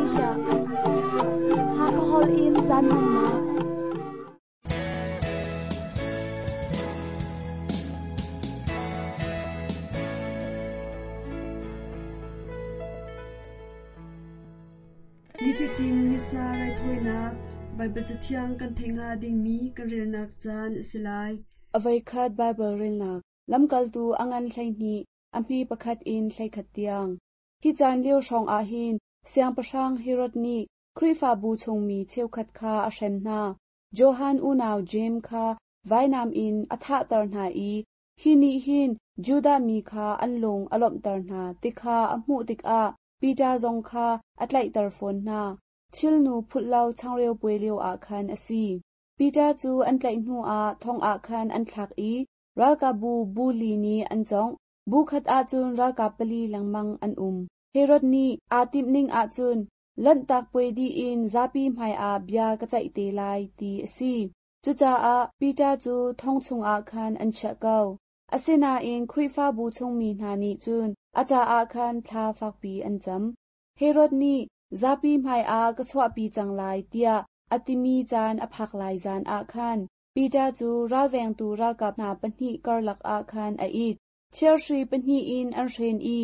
Malaysia Hakha holh in caan hmannak. Nifatin Missa raithawinak Baibal Cathiang kan theih hnga dingmi kan relnak caan a si lai. A voikhat Baibal relnak Lamkaltu a ngan 12 a hme pakhat in 11 tiang. Hi caan lio hrawng ah hin Siangpahrang Herod nih Khrihfabu chungmi cheukhat kha a hrem hna. Johan unau Jeim kha vainam in a thahter hna i hi nih hin Judah mi kha an lung a lawmhter hna ti kha a hmuh tikah Piter zong kha a tlaihter fawn hna. Thilnu phulh lo changreu puai lioah khan a si. Piter cu an tlaih hnuah thong ah khan an thlak i ralkapbu bu li nih an cawngh. Bu khat ahcun ralkap pali lengmang an um. Herod nih aa timhning ahcun Lanhtak puai dih in zapi hmaiah bia ka ceih te lai ti a si. Cucaah Piter cu thong chungah khan an chiah ko. Asinain Khrihfabu chungmi hna nih cun a caah khan thla fakpi an cam. Herod nih zapi hmaiah ka chuahpi cang lai tiah a timi caan a phak lai zan ah khan Piter cu ralvengtu ralkap hna pahnih karlak ah khan a it. Thirhri pahnih in an hren i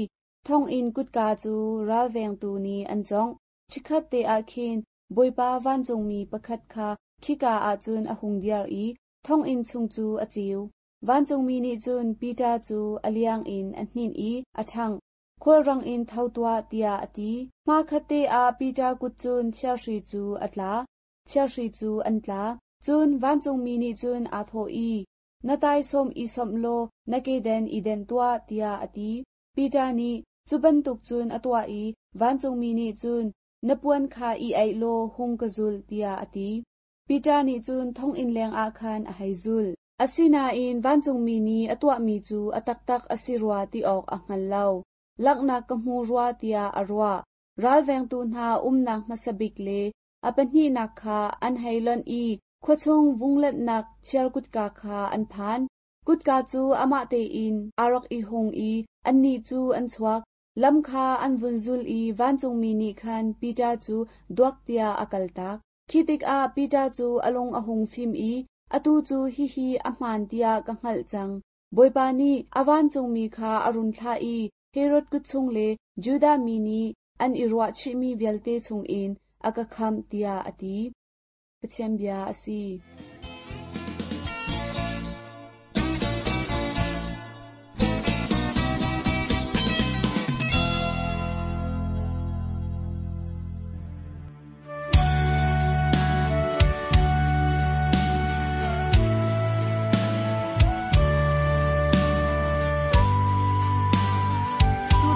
thonginn kutka cu ralvengtu nih an cawngh. Chikkhat te ah khin Bawipa vancungmi pakhat kha khika ah cun a hung dir i thonginn chung cu a ceu. Vancungmi nih cun Piter cu a liang in a hninh i a ṭhangh. Khulrang in tho tuah tiah a ti. Hmakhatte ah Piter kut cun thirhri cu a tla. Thirhri cu an tla. Cun vancungmi nih cun aa thawh i, Na taisawm i sawmh law na keden i denh tuah, tiah a ti. Piter nih cu bantuk cun a tuah i vancungmi nih cun, Na puan kha i aih law hung ka zul, tiah a ti. Piter nih cun thonginn lengah khan a hei zulh. Asinain vancungmi nih a tuahmi cu a taktak a si rua ti awk a hngal lo. Langhnak ka hmu rua tiah a ruah. Ralvengtu hna umnak hmasa bik le a pahnihnak kha an hei lonh i khuachung vunglenhnak chiar kutka kha an phan. Kutka cu amah tein aa rak i hung i annih cu an chuak. Lam kha an vun zul i vancungmi nih khan Piter cu duak tiah a kaltak. Khi tikah Piter cu a lung a hung fim i, Atu cu hihi a hmaan tiah ka hngalh cang. Bawipa nih a vancungmi kha a run thlah i Herod kut chung le Judah mi nih an i ruahchihmi vialte chungin a ka khamh, tiah a ti. Pathian bia a si.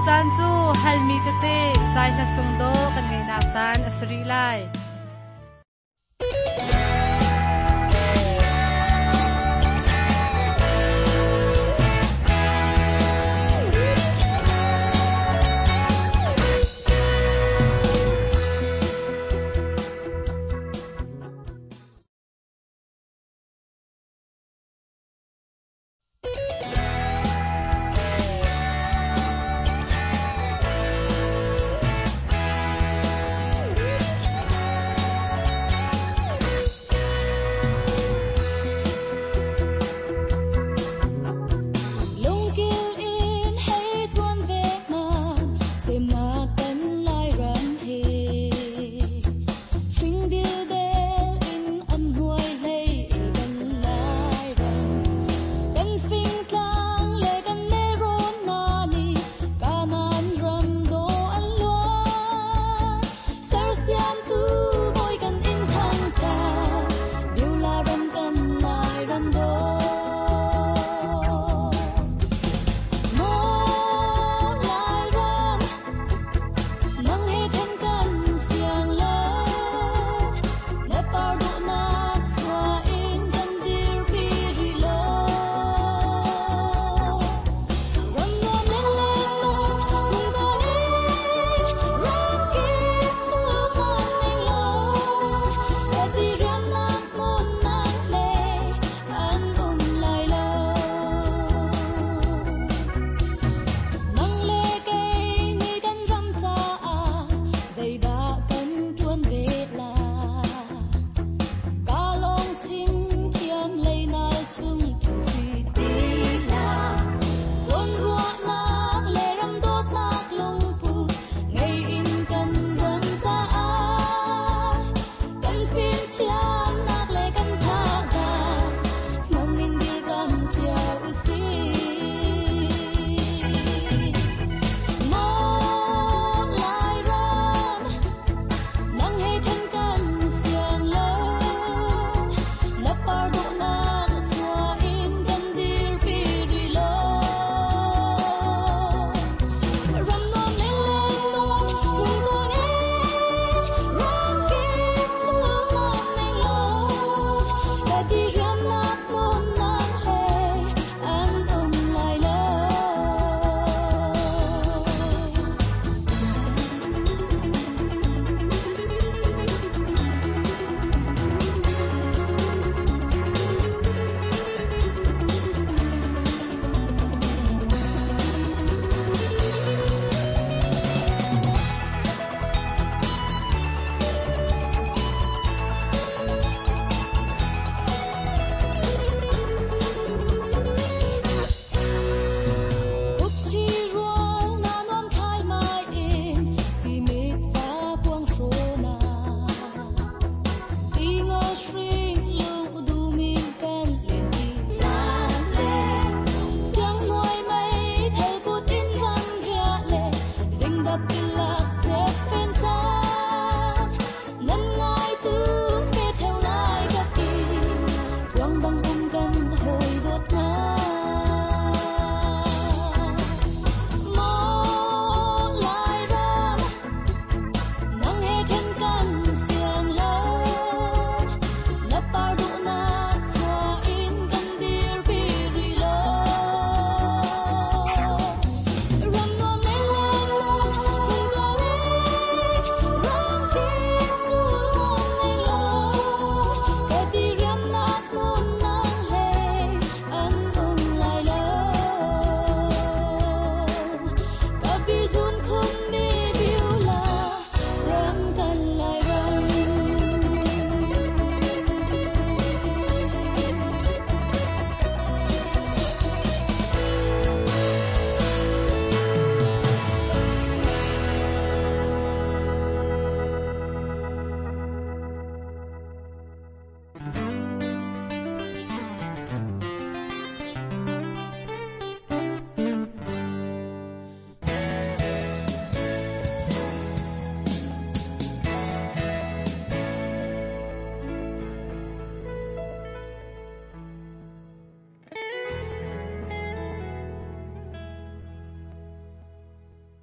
Tucaan cu halmi tete zai hla sung dawh kan ngeihnak caan a si rih lai.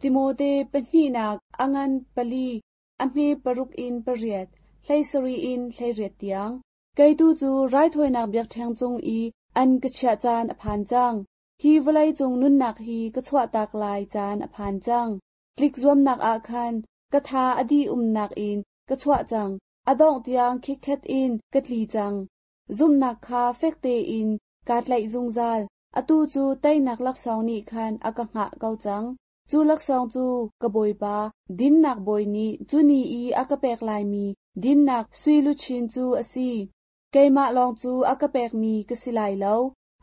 Timote pahnihnak a ngan pali a hme paruk in pariat, 17 in 18 tiang. Kei tu cu raithawinak biakṭheng cung i an ka chiah caan a phan cang. Hi vawlei cung nunnak hi ka chuahtak lai caan a phan cang. Tlik zuamnak ah khan ka tha a dih umnak in ka chuah cang. A dongh tiang khikkhet in ka tli cang. Zumhnak kha fek tein kaa tlaih zungzal. Atu cu teinak laksawng nih khan a ka hngah ko cang. Cu laksawng cu ka Bawipa, dinnak bawi nih cu ni i a ka pek laimi dinnak sui luchin cu a si. Keimah lawng cu a ka pekmi ka si lai lo,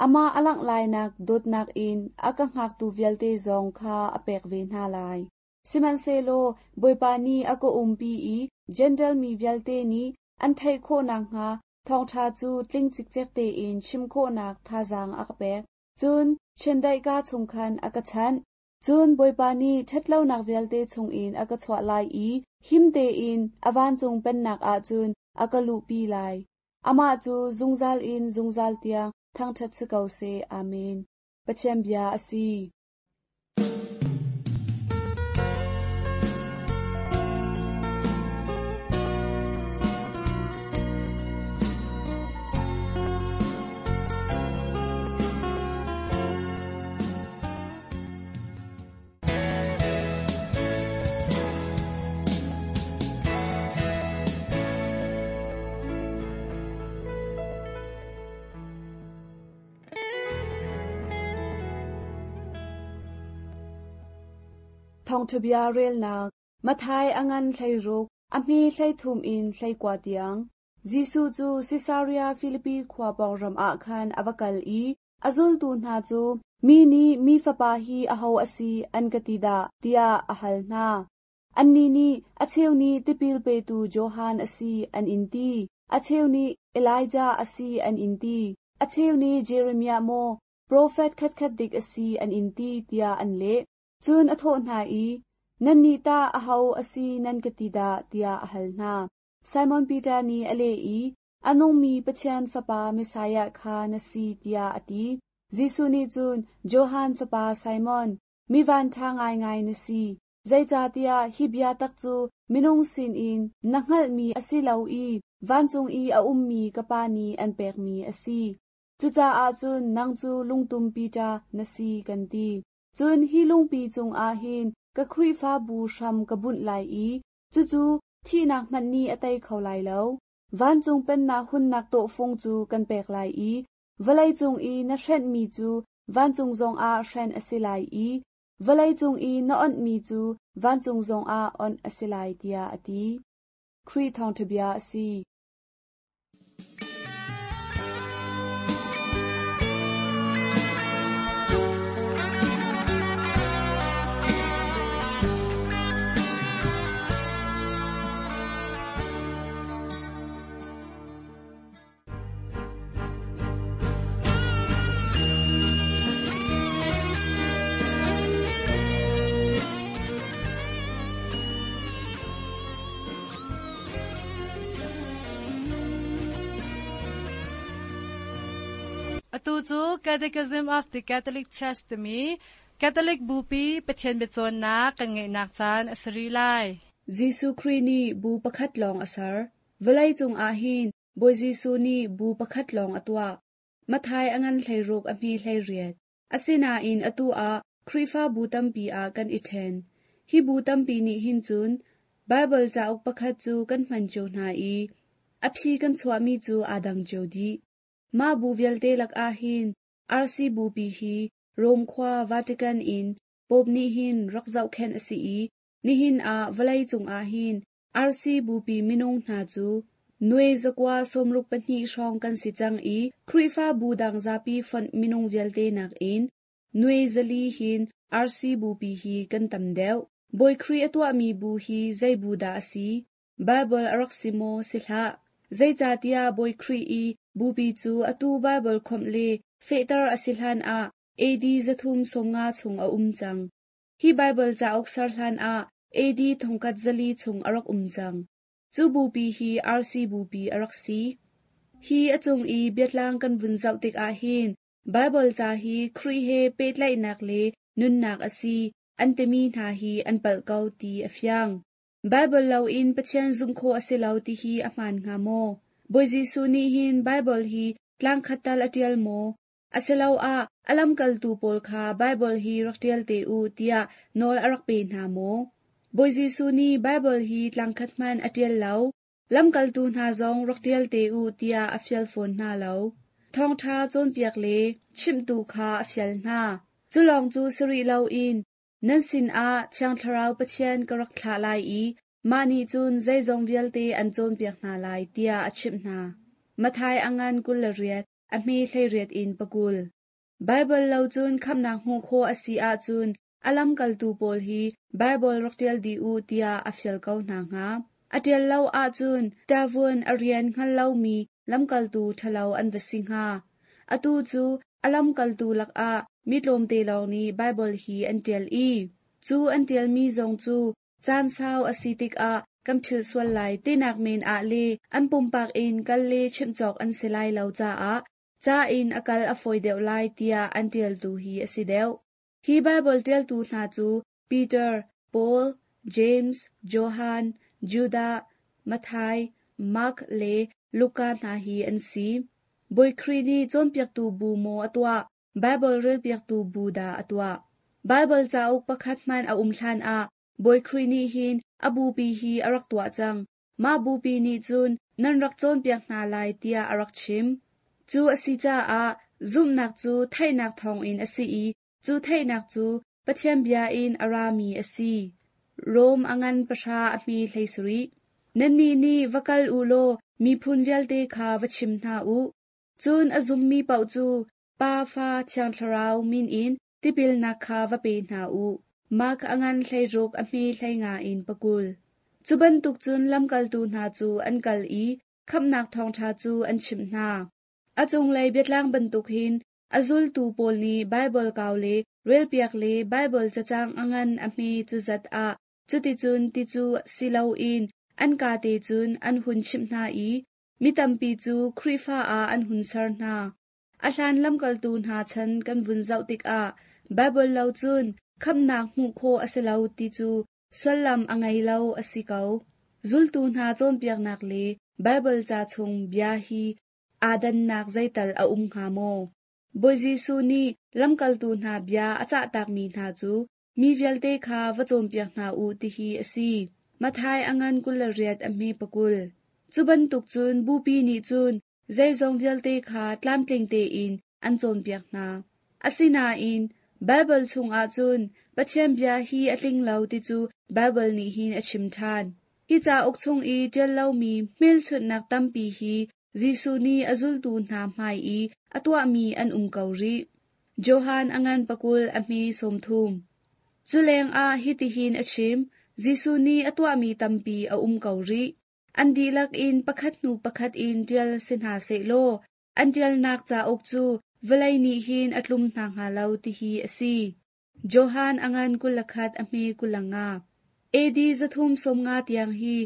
amah a langh lainak dawtnak in a ka hngaktu vialte zong kha a pek ve hna lai. Sihmanhsehlaw Bawipa nih a ka umpi i Jentail mi vialte nih an theih khawh nakhnga thawngṭha cu tling cikcek tein chim khawhnak thazaang a ka pek. Cun chiandeih kaa chung khan a ka chanh. Cun Bawipa nih ṭhatlonak vialte chungin a ka chuah lai i him tein a vancung pennak ah cun a ka luhpi lai. Amah cu zungzal in zungzal tiang thangṭhat si ko seh. Amen. Pathian bia a si. Thawngṭhabia relnak Matthai a ngan 16, a hme 33 in 19 tiang. Jesuh cu Sisaria Filipi khua pawng ram ah khan a va kal i a zultu hna cu, Mi nih Mi Fapa hi aho a si, an ka ti dah? tiah a hal hna. Annih nih, A cheu nih tipil petu Johan a si, an in ti. A cheu nih Elijah a si, an in ti. A cheu nih Jeremiah maw, profet khatkhat dik a si, an in ti, tiah an leh. Cun a thawh hna i, Nannih tah aho a si nan ka ti dah? tiah a hal hna. Simon Peter nih a leh i, A nungmi Pathian Fapa Messiah kha na si, tiah a ti. Jesuh nih cun, Johan fapa Simon, mi vanṭha ngaingai na si, zeicahtiah hi bia tak cu minung sinin na hngalhmi a si lo i vancung i a ummi ka Pa nih an pekmi a si. Cucaah cun nang cu lungtum Peter na si kan ti. Cun hi lungpi cungah hin ka Khrihfabu hram ka bunh lai i cucu thihnak hmanh nih a tei kho lai lo. Vancung pennak hunnak tawhfung cu kan pek lai i vawleicung i na hrenhmi cu vancung zongah hren a si lai i vawleicung i na onhmi cu vancung zongah onh a si lai, tiah a ti. Khrih thawngṭha bia a si. Atu cu Catechism of the Catholic Church timi Catholic Bupi Pathian biacawnnak kan ngeihnak caan a si rih lai. Jesuh Khrih nih bu pakhat lawng a ser. Vawlei cung ah hin Bawi Jesuh nih bu pakhat lawng a tuah. Matthai a ngan 16 a hme 18. Asinain atu ah Khrihfabu tampi ah kan i ṭhen. Hi bu tampi nih hin cun Baibal cauk pakhat cu kan hman cio hna i a phi kan chuahmi cu aa dang cio dih. Mah bu vialte lakah hin RC bupi hi Rome khua Vatican in Pope nih hin rak zohkhenh a si i nihin ah vawlei cungah hin RC bupi minung hna cu nuai zakua 62 hrawng kan si cang i Khrihfabu dang zapi fonh minung vialte nakin nuai 400 hin RC bupi hi kan tam deuh. Bawi Khrih a tuahmi bu hi zei bu dah a si? Baibal a rak si maw si hlah? Zeicahtiah Bawi Khrih i bupi cu atu Baibal khawmh le fehter a si hlan ah AD 350 chung a um cang. Hi Baibal cauk ser hlan ah AD 1400 chung a rak um cang. Cu bupi hi RC bupi a rak si. Hi a cung i biatlang kan vun zoh tikah hin Baibal ca hi Khrih he pehtlaihnak le nunnak a si. an timi hna hi an palh ko ti a fiang. Baibal loin Pathian zumh khawh a si lo ti hi a hmaan hnga maw? Bawi Jesuh nih hin Baibal hi tlangkhat tal a ṭial maw? Asiloah a lamkaltu pawl kha Baibal hi rak ṭial te u tiah nawl a rak pe hna maw? Bawi Jesuh nih Baibal hi tlangkhat hmanh a ṭial lo. Lamkaltu hna zong rak ṭial te u tiah a fial fawn hna lo. Thawngṭha cawnpiak le chimhtu kha a fial hna. Cu lawng cu si rih loin nan sinah Thiang Thlarau Pathian ka rak thlah lai i mah nih cun zeizong vialte an cawnpiak hna lai tiah a chimh hna. Matthai a ngan 28, a hme 18 in 20. Baibal lo cun khamhnak hmuh khawh a si ahcun a lamkaltu pawl hi Baibal rak ṭial dih u tiah a fial ko hna hnga. A ṭial lo ahcun ṭavun a rian hngal lomi lamkaltu ṭhalo an va si hnga. Atu cu a lamkaltu lakah mi tlawmte lawng nih Baibal hi an ṭial i cu an ṭialmi zong cu caan sau a si tikah kan philh sual lai tinak men ah le an pumpak in kal le chimh cawk an si lai lo caah ca in a kal a fawi deuh lai tiah an ṭialtu hi a si deuh. Hi Baibal ṭialtu hna cu Peter, Paul, James, Johan, Judah, Matthai, Mark le Luka hna hi an si. Bawi Khrih nih cawnpiaktu bu maw a tuah, Baibal relpiaktu bu dah a tuah? Baibal cauk pakhat hmanh a um hlanah Bawi Khrih nih hin a bupi hi a rak tuah cang. Mah bupi nih cun nan rak cawnpiak hna lai tiah a rak chim. Cu a si caah zumhnak cu theihnak thawngin a si i cu theihnak cu Pathian bia in a rami a si. Rom a ngan pahra a hme 17. Nannih nih va kal u law miphun vialte kha va chim hna u. Cun a zummi paoh cu Pa, Fa, Thiang Thlarau min in tipilnak kha va pe hna u. Mark a ngan 16 a hme 15 in 20. Cu bantuk cun lamkaltu hna cu an kal i khamhnak thawngṭha cu an chimh hna. A cunglei biatlang bantuk hin a zultu pawl nih Baibal kau le relpiak le Baibal cacang a ngan a hme cu zat ah cuticun ti cu si loin an kate cun an hun chimh hna i mi tampi cu Khrihfa ah an hun ser hna. A hlan lamkaltu hna chan kan vun zoh tikah Baibal lo cun khamhnak hmuh khawh a si lo ti cu sullam a ngei lo a si ko. Zultu hna cawnpiaknak le Baibal ca chung bia hi aa dannak zeital a um hnga maw? Bawi Jesuh nih lamkaltu hna bia a cahtakmi hna cu mi vialte kha va cawnpiak hna u tihi a si. Matthai a ngan 28 a hme 20. Cu bantuk cun bupi nih cun zeizong vialte kha tlamtling tein an cawnpiak hna. Asinain Baibal chungah cun Pathian bia hi a tling lo ti cu Baibal nih hin a chim ṭhan. Hi cauk chung i ṭial lomi hmelchunhnak tampi hi Jesuh nih a zultu hna hmai i a tuahmi an um ko rih. Johan a ngan 20 a hme 30. Cu lengah hitihin a chim, Jesuh nih a tuahmi tampi a um ko rih. An dihlak in pakhat hnu pakhat in ṭial si hna sehlaw an ṭialnak cauk cu vawlei nih hin a tlum hna hnga lo tihi a si. Johan a ngan 21 a hme 25. AD 350 tiang hi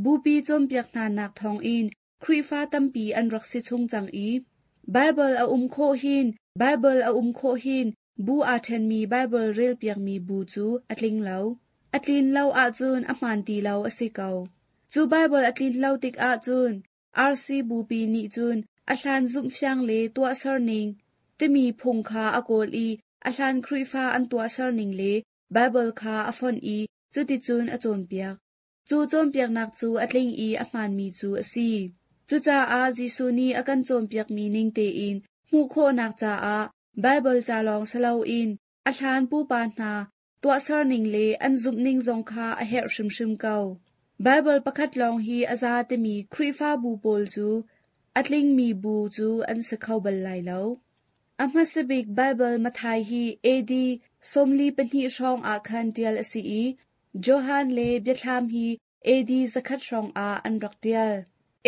bupi cawnpiak hna nak thawngin Khrihfa tampi an rak si chung cang i Baibal a um khawh hin Baibal a um khawh hin bu aa ṭhenmi Baibal relpiakmi bu cu a tling lo. A tlin lo ahcun a hmaan ti lo a si ko. Cu Baibal a tlin lo tikah cun RC bupi nih cun a hlan zumhfiang le tuahser ning timi phung kha a kawl i a hlan Khrihfa an tuahser ning le Baibal kha a fonh i cuticun a cawnpiak. Cu cawnpiaknak cu a tling i a hmaanmi cu a si. Cucaah Jesuh nih a kan cawnpiakmi ning tein hmuh khawhnak caah Baibal ca lawng si loin a hlan pupa hna tuahser ning le an zumhning zong kha a herh hrimhrim ko. Baibal pakhat lawng hi a za timi Khrihfabu pawl cu a tlingmi bu cu an si kho bal lai lo. A hmasabik Baibal Matthai hi AD 42 hrawng ah khan ṭial a si i Johan le Biathlam hi AD 100 hrawng ah an rak ṭial.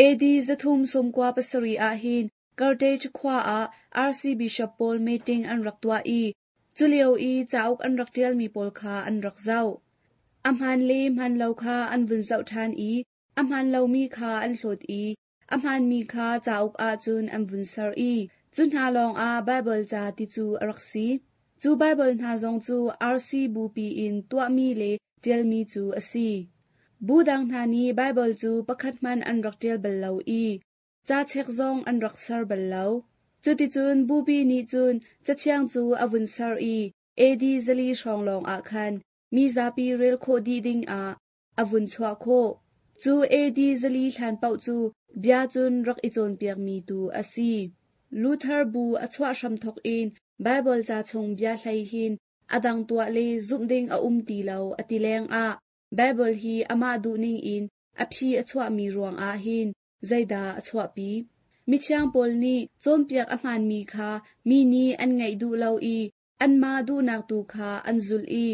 AD 397 ah hin Carthage khua ah RC Bishop pawl meeting an rak tuah i culio i cauk an rak ṭialmi pawl kha an rak zoh. A hmaan le hmaan lo kha an vun zoh ṭhan i a hmaan lomi kha an hlawt i a hmaanmi kha cauk ahcun an vun ser i cu hna lawngah Baibal ca ti cu a rak si. Cu Baibal hna zong cu RC bupi in tuahmi le ṭialmi cu a si. Bu dang hna nih Baibal cu pakhat hmanh an rak ṭial bal lo i ca chek zong an rak ser bal lo. Cuticun bupi nih cun Cathiang cu a vun ser i AD 400 hrawng lawng ah khan mi zapi rel khawh dih ding ah a vun chuah khawh. Cu AD 400 hlan paoh cu bia cun rak i cawnpiakmi tu a si. Luther bu a chuah hramthawk in Baibal ca chung bia hlei hin a dang tuah le zumh ding a um ti lo a ti lengah Baibal hi amah duhning in a phi a chuahmi ruangah hin zeidah a chuahpi? Mithiang Paul nih cawnpiak a hmaanmi kha mi nih an ngaih duh lo i anmah duhnak tu kha an zulh i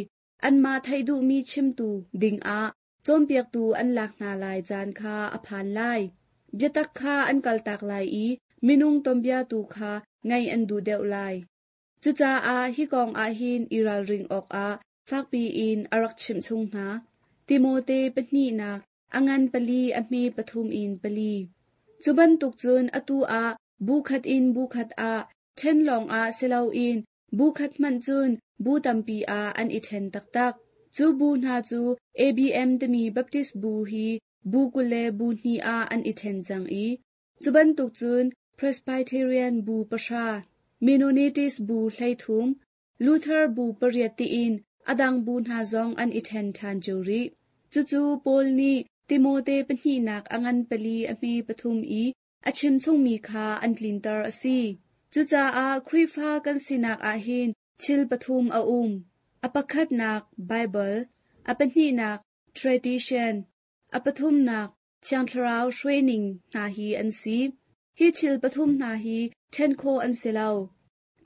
anmah theih duhmi chimtu dingah cawnpiaktu an lak hna lai caan kha a phan lai. Biatak kha an kaltak lai i minung tuanbia tu kha ngaih an duh deuh lai. Cucaah hi kong ah hin i ralring awkah fakpi in a rak chimh chung hna. Timote pahnihnak a ngan pali a hme pathum in pali. Cu bantuk cun atu ah bu khat in bu khat ah ṭhen lawngah si loin bu khat hmanh cun bu tampi ah an i ṭhen taktak. Cu bu hna cu ABM timi Baptist bu hi bu 20 le bu hnih ah an i ṭhen cang i cu bantuk cun Presbyterian bu pahra, Mennonites bu 13, Luther bu pariat tiin a dang bu hna zong an i ṭhen ṭhan cio rih. Cucu Paul nih Timote pahnihnak a ngan pali a hme pathum i a chim chungmi kha an tlinter a si. Cucaah Khrihfa kan sinak ah hin thil pathum a um. A pakhatnak Baibal, a pahnihnak tradition, a pathumnak Thiang Thlarau hruaining hna hi an si. Hi thil pathum hna hi ṭhen khawh an si lo.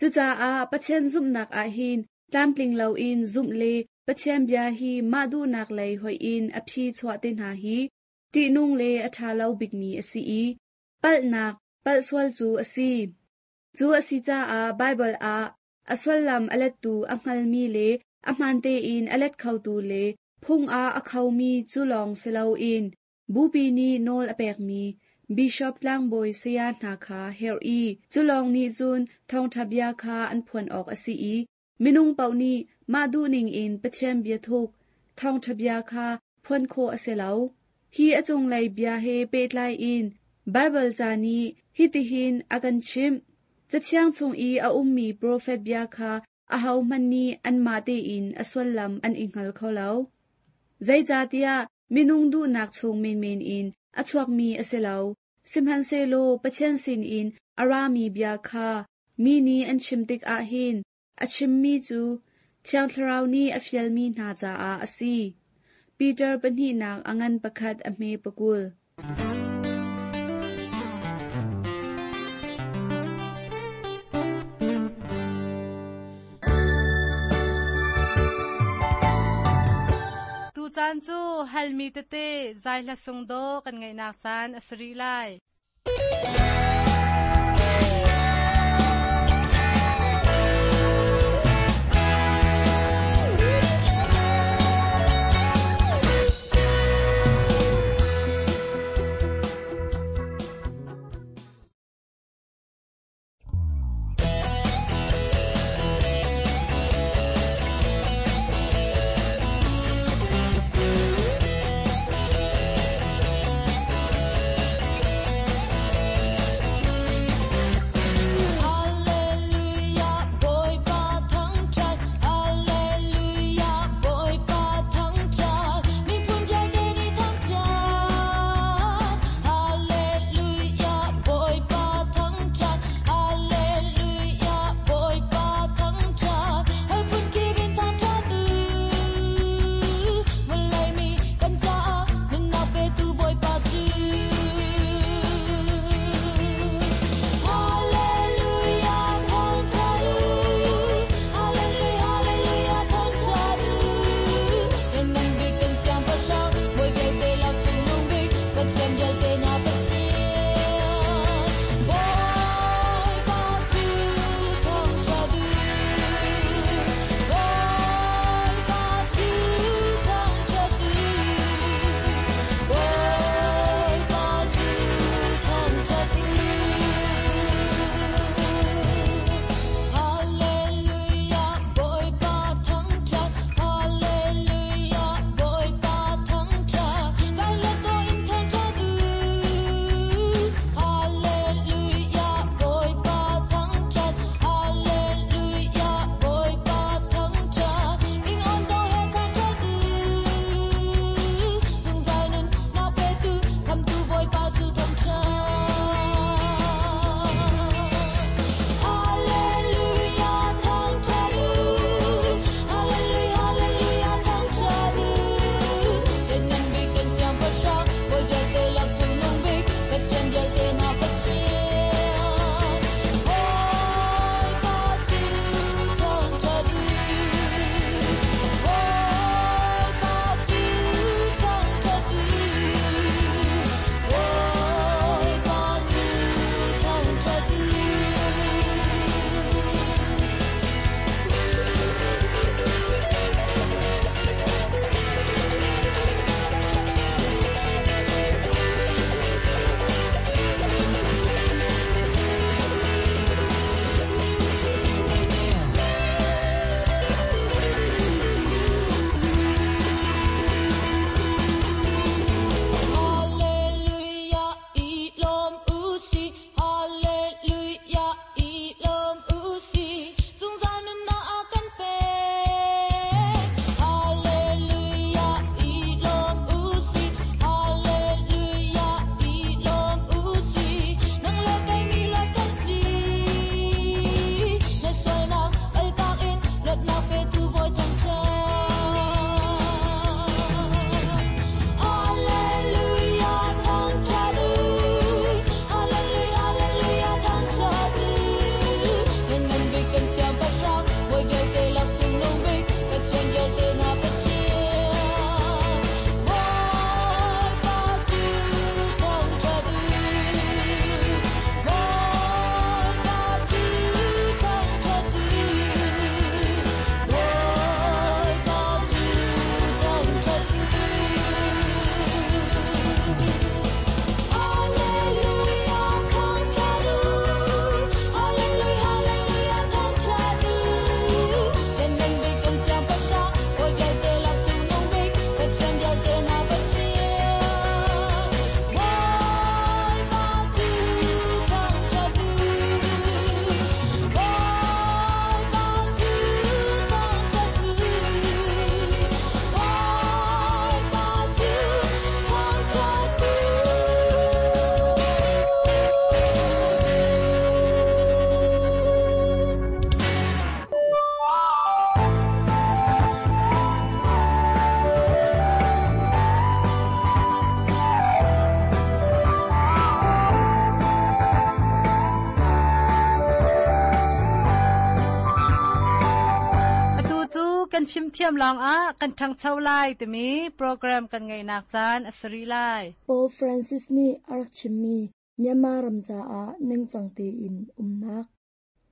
Cucaah Pathian zumhnak ah hin tlamtling loin zumh le Pathian bia hi mah duhnak lei hoih in a phi chuah te hna hi ṭihnung le a ṭha lo bikmi a si i palhnak palh sual cu a si. Cu a si caah Baibal ah a sullam a lettu a hngalmi le a hmaan tein a let khotu le phung ah a khomi cu lawng si loin bupi nih nawl a pekmi bishop tlangbawi saya hna kha herh i cu lawng nih cun thawngṭha bia kha an phuan awk a si i minung paoh nih mah duhning in Pathian biathuk thawngṭha bia kha phuan khawh a si lo. Hi a cunglei bia he pehtlai in Baibal ca nih hitihin a kan chimh. Cathiang chung i a ummi profet bia kha ahohmanh nih anmah tein a sullam an i hngal kho lo. Zeicahtiah minung duhnak chung menmen in a chuakmi a si lo. Sihmanhsehlaw Pathian sinin a rami bia kha mi nih an chim tikah hin a chimmi cu Thiang Thlarau nih a fialmi hna caah a si. Peter pahnihnak a ngan pakhat a hme pakul. Tucaan cu halmi tete zai hla sung dawh kan ngaihnak caan a si rih lai. kan fimthiam lawngah kan ṭhangcho lai timi program kan ngeihnak caan a si rih lai. Pope Francis nih a rak chimmi Myanmar ram caah ningcang tein umnak.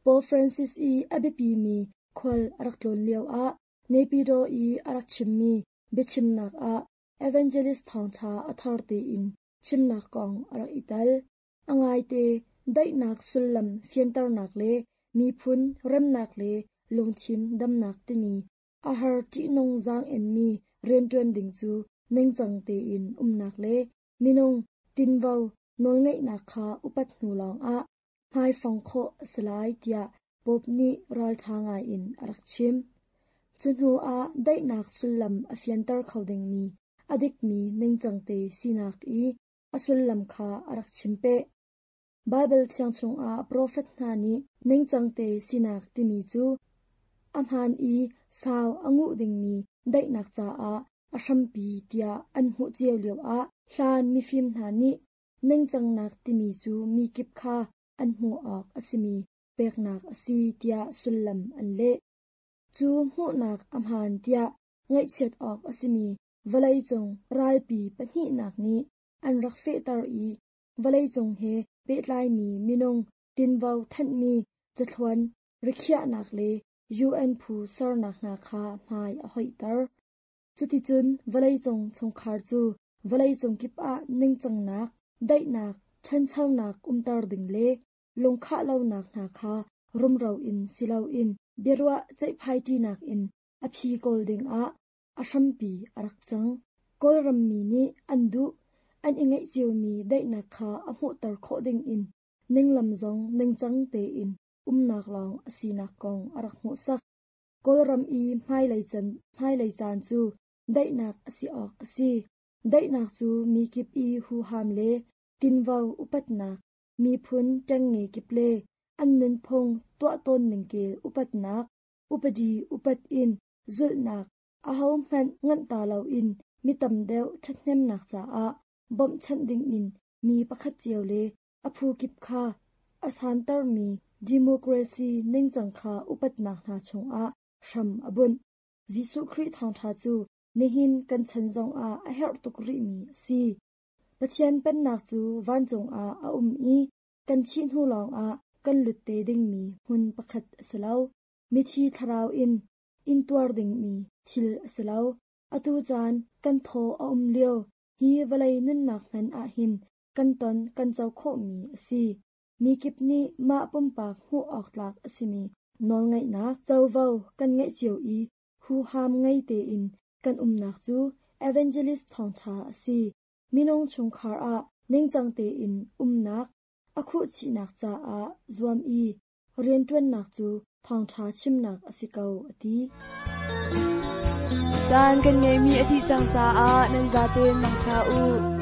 Pope Francis i a biapimi khual a rak tlawn lioah Naypyidaw i a rak chimmi biachimnak ah Evangelist thawngṭha a thar tein chimnak kong a rak i tel. A ngaite, daihnak sullam fianternak le miphun remnak le lungthin damnak timi a har ṭihnung zaang-enmi rianṭuan ding cu ningcang tein umnak le minung tinvo nawlngeihnak kha upat hnu lawngah hmaifong khawh a si lai tiah Pope nih ralṭha ngaiin a rak chim. Cu hnuah daihnak sullam a fianter kho dingmi a dikmi ningcangte sinak i a sullam kha a rak chim peh. Baibal Thiang chungah profet hna nih ningcangte sinak timi cu a hmaan i sau a nguh dingmi daihnak caah a hrampi tiah an hmuh cio lioah hlan mifim hna nih ningcangnak timi cu mi kip kha an hmuh awk a simi peknak a si tiah sullam an leh. Cu hmuhnak a hmaan tiah ngaihchiat awk a simi vawleicung ralpi pahnihnak nih an rak fehter i vawleicung he pehtlaimi minung tinvo thanhmi cathluan rikhiahnak le UN phu sernak hna kha hmai a hoihter. Cuticun vawleicung chungkhar cu vawleicung kip ah ningcangnak, daihnak, ṭhanchonak umter ding le lungkhah lonak hna kha rumro in si loin biaruah ceihphaiṭinak in a phi kawl dingah a hrampi a rak cang. Kawlram mi nih an duh, an i ngeih ciomi daihnak kha a hmuhter khawh dingin ninglam zong ningcang tein umnak lawng a sinak kong a rak hmuhsak. Kawlram i hmailei caan cu daihnak a si awk a si. Daihnak cu mi kip i huham le tinvo upatnak, miphun ṭengnge kip le an nunphung tuahtawn ningkel upatnak, upadi upat in zulhnak, ahohmanh nganhta loin mi tam deuh ṭhathnemnak caah bawmhchanh dingin mi pakhat cio le a phu kip kha a santermi democracy ningcang kha upatnak hna chungah hram a bunh. Jesuh Khrih thawngṭha cu nihin kan chan zongah a herh tuk rihmi a si. Pathian Pennak cu vancung ah a um i kan thih hnu lawngah kan lut te dingmi hmun pakhat a si lo. Mithi thlarau in intuar dingmi thil a si lo. Atu caan kan thaw a um lio hi vawlei nunnak hmanh ahhin kan ton kan co khawhmi a si. Mi kip nih mah pumpak hmuh awk tlak a simi nawlngeihnak covo kan ngeih cio i huham ngei tein kan umnak cu evangelist thawngṭha a si. Minung chungkhar ah ningcang tein umnak a khuhchihnak caah zuam i rianṭuannak cu thawngṭha chimnak a si ko, a ti. Caan kan ngeihmi a dih cang caah nan zaten mangṭha u.